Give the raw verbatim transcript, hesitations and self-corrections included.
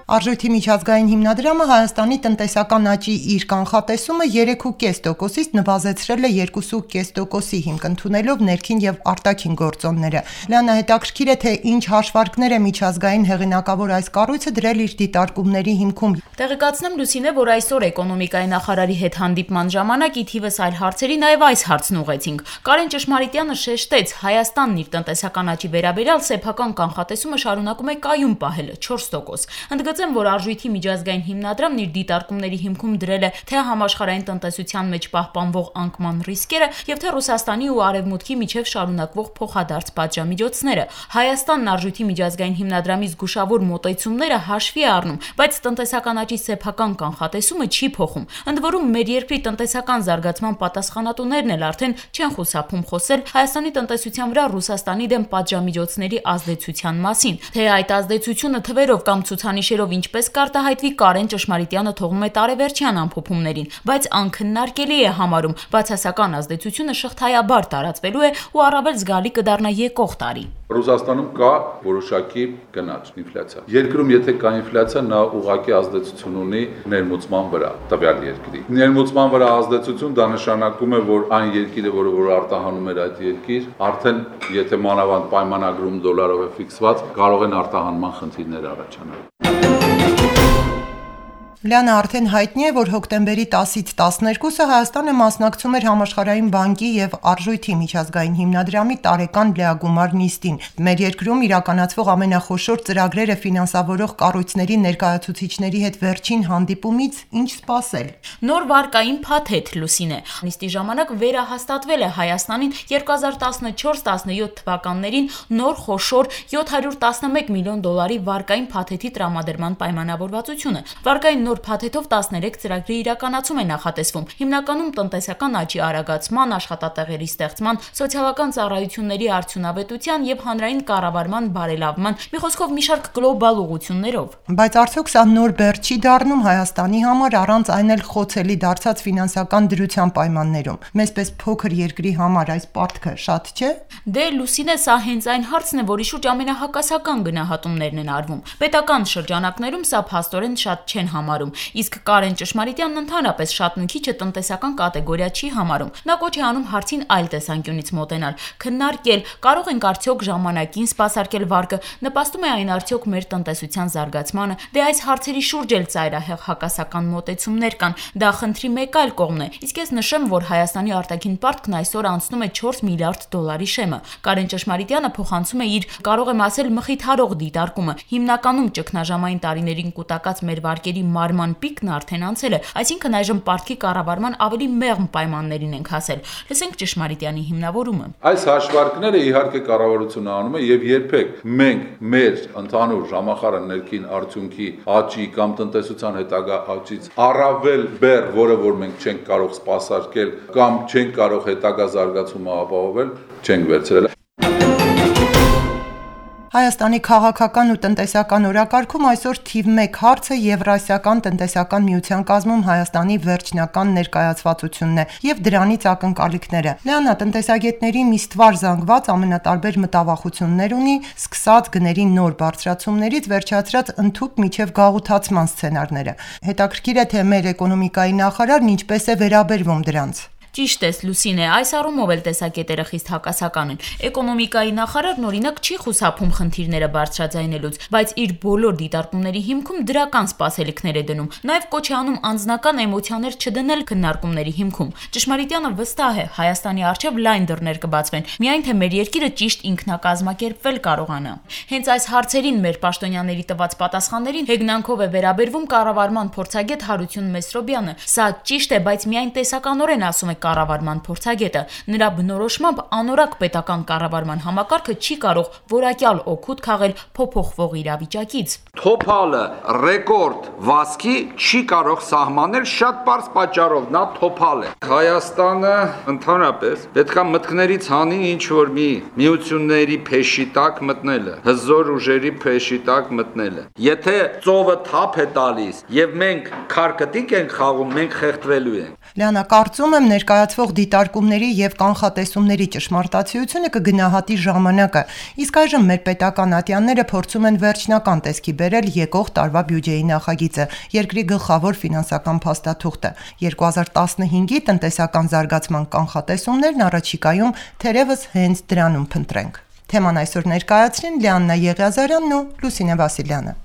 Արժույթի միջազգային հիմնադրամը Հայաստանի տնտեսական աճի իր կանխատեսումը երեք կoma պինգ տոկոսից նվազեցրել է երկու կoma պինգ տոկոսի հիմք ընդունելով ներքին եւ արտաքին գործոնները։ Լիանա, հետաքրքիր է, թե ինչ հաշվարկներ է միջազգային հեղինակավոր այս կառույցը դրել իր դիտարկումների հիմքում։ Տեղեկացնեմ Լուսինե, որ այսօր էկոնոմիկայի նախարարի հետ հանդիպման ժամանակ ի թիվս այլ հարցերի նաեւ այս հարցն ուղեցինք։ Կարեն Ճշմարիտյանը շեշտեց, Հայաստանն իր տնտեսական աճի վերաբերյալ սեփական կանխատեսումը շարունակում է կայուն պահել չորս տոկոս։ Ընդգծեմ, որ Արժույթի միջազգային հիմնադրամն իր դիտարկումների հիմքում դրել է թե համաշխարհային տնտեսության մեջ պահպանվող անկման ռիսկերը եւ թե Ռուսաստանի ու Արևմուտքի միջև շարունակվող փոխադարձ պատժամիջոցները։ Հայաստանն Արժույթի միջազգային հիմնադրամի զգուշավոր մոտեցումները հաշվի է առնում, բայց տնտեսական աճի սեփական կանխատեսումը չի փոխում։ Ընդ որում, մեր երկրի տնտեսական զարգացման պատասխանատուներն էլ արդեն չեն խուսափում խոսել Հայաստանի տնտեսության վրա Ռուսաստանի դեմ պատժամիջոցների ազդեցության մասին։ Թե այդ ազդեցությունը թվերով կամ ցուցանիշերով ինչպես կարտահայտվի, Կարեն Ճշմարիտյանը թողնում է տարեվերջյան ամփոփումներին, բայց անքննարկելի է համարում բացասական ազդեցությունը շղթայաբար տարածվելու է ու առավել զգալի կդառնա եկող տարի։ Ռուսաստանում կա որոշակի գնաճ, ինֆլյացիա։ Երկրում եթե կա ինֆլյացիա, նա ուղղակի ազդեցություն ունի ներմուծման վրա, տվյալ երկրի։ Ներմուծման վրա ազդեցություն դա նշանակում է, որ այն երկիրը, որը որ արտահանում էր այդ երկիր, արդեն եթե մանավանդ պայմանագրում դոլարով է ֆիքսված, կարող են արտահանման խնդիրներ առաջանալ։ Լիանա, արդեն հայտնի է, որ հոկտեմբերի տասից տասներկուսը Հայաստանը մասնակցում էր Համաշխարհային բանկի եւ Արժույթի միջազգային հիմնադրամի տարեկան լիագումար նիստին։ Մեր երկրում իրականացվող ամենախոշոր ծրագրերը ֆինանսավորող կառույցների ներկայացուցիչների հետ վերջին հանդիպումից ինչ սպասել։ Նոր վարկային փաթեթ, Լուսինե։ Նիստի ժամանակ վերահաստատվել է Հայաստանին երկու հազար տասնչորս տասնյոթ թվականներին նոր խոշոր յոթ հարյուր տասնմեկ միլիոն դոլարի վարկային փաթեթի տրամադրման պայմանավորվածությունը։ Վարկային նոր փաթեթով տասներեք ծրագրի իրականացում է նախատեսվում։ Հիմնականում տնտեսական աճի արագացման, աշխատատեղերի ստեղծման, սոցիալական ծառայությունների արդյունավետության եւ հանրային կառավարման բարելավման, մի խոսքով մի շարք գլոբալ ուղղություններով։ Բայց արդյոք սա նոր բեռ չի դառնում Հայաստանի համար, առանց այն էլ խոցելի դարձած ֆինանսական դրության պայմաններում։ Մեզպես փոքր երկրի համար այս պարտքը շատ չէ։ Դե Լուսինե, սա հենց այն հարցն է, որի շուրջ ամենահակասական գնահատումներն են արվում։ Պետական շրջանակներում սա փաստորեն շատ չեն համարում, իսկ Կարեն Ճշմարիտյանն ընդհանրապես շատ մի քիչը տնտեսական կատեգորիա չի համարում։ Նա կոչ է անում հարցին այլ տեսանկյունից մոտենալ, քննարկել, կարող ենք արդյոք ժամանակին սպասարկել վարկը, նպաստում է այն արդյոք մեր տնտեսության զարգացմանը։ Դե այս հարցերի շուրջ էլ ծայրահեղ հակասական մոտեցումներ կան։ Դա խնդրի մեկ այլ կողմն է։ Իսկ ես նշեմ, որ Հայաստանի արտաքին պարտքն այսօր անցնում է չորս միլիարդ դոլարի շեմը։ Կարեն Ճշմարիտյանը փոխանցում է իր, կարող եմ ասել, մխիթարող դիտարկումը։ Հիմնականում ճգնաժամային տարիներին կուտակած մեր վարկերի մարման պիկն արդեն անցել է, այսինքն այժմ պարտքի կառավարման ավելի մեղմ պայմաններին ենք հասել։ Լսենք Ճշմարիտյանի հիմնավորումը։ Այս հաշվարկները իհարկե կառավարությունը անում է եւ երբեք մենք մեր ընդհանուր ժամախառն ներքին արդյունքի աճի կամ տնտեսության հետագա աճից առավել բեռ, որը որ մենք չենք կարող սպասարկել կամ չենք կարող հետագա զարգացումը ապահովել, չենք վերցրել։ Հայաստանի քաղաքական ու տնտեսական օրակարգում այսօր թիվ մեկ հարցը Եվրասիական տնտեսական միության կազմում Հայաստանի վերջնական ներկայացվածությունն է եւ դրանից ակնկալիքները։ Լիանա, տնտեսագետների մի ստվար զանգված ամենատարբեր մտավախություններ ունի, սկսած գների նոր բարձրացումներից վերջացրած ընդհուպ միջև գաղութացման սցենարները։ Հետաքրքիր է, թե մեր էկոնոմիկայի նախարարն ինչպես է վերաբերվում դրանց։ Ճիշտ ես, Լուսինե, այս առումով էլ տեսակետերը խիստ հակասական են։ Էկոնոմիկայի նախարարն օրինակ չի խուսափում խնդիրները բարձրաձայնելուց, բայց իր բոլոր դիտարկումների հիմքում դրական սպասելիքներ է դնում։ Նաև կոչ է անում անձնական էմոցիաներ չդնել քննարկումների հիմքում։ Ճշմարիտյանը վստահ է, Հայաստանի առջև լայն դռներ կբացվեն, միայն թե մեր երկիրը ճիշտ ինքնակազմակերպվել կարողանա։ Հենց այս հարցերին մեր պաշտոնյաների տված պատասխաններին հեգնանքով է վերաբերվում կառավարման փորձագետ Հարություն Մեսրոբյանը։ Սա ճիշտ է, բայց միայն տեսականորեն ասում է կառավարման փորձագետը։ Նրա բնորոշմամբ անորակ պետական կառավարման համակարգը չի կարող որակյալ օգուտ քաղել փոփոխվող իրավիճակից։ Թոփալը ռեկորդ վազքի չի կարող սահմանել շատ պարզ պատճառով, նա թոփալ է։ Հայաստանը ընդհանրապես պետքա մտքներից հանի ինչ որ մի միությունների փեշի տակ մտնելը, հզոր ուժերի փեշի տակ մտնելը։ Եթե ծովը թափ է տալիս եւ մենք քարկտիկ ենք խաղում, մենք խեղդվելու ենք։ Լիանա, կարծում եմ ներկայացվող դիտարկումների եւ կանխատեսումների ճշմարտացիությունը կգնահատի ժամանակը, իսկ այժմ մեր պետական ատյանները փորձում են վերջնական տեսքի բերել եկող տարվա բյուջեի նախագիծը, երկրի գլխավոր ֆինանսական փաստաթուղթը։ երկու հազար տասնհինգի տնտեսական զարգացման կանխատեսումներն առաջիկայում թերևս հենց դրանում փնտրենք։ Թեման այսօր ներկայացրին Լիաննա Եղիազարյանն ու Լուսինե Վասիլյանը։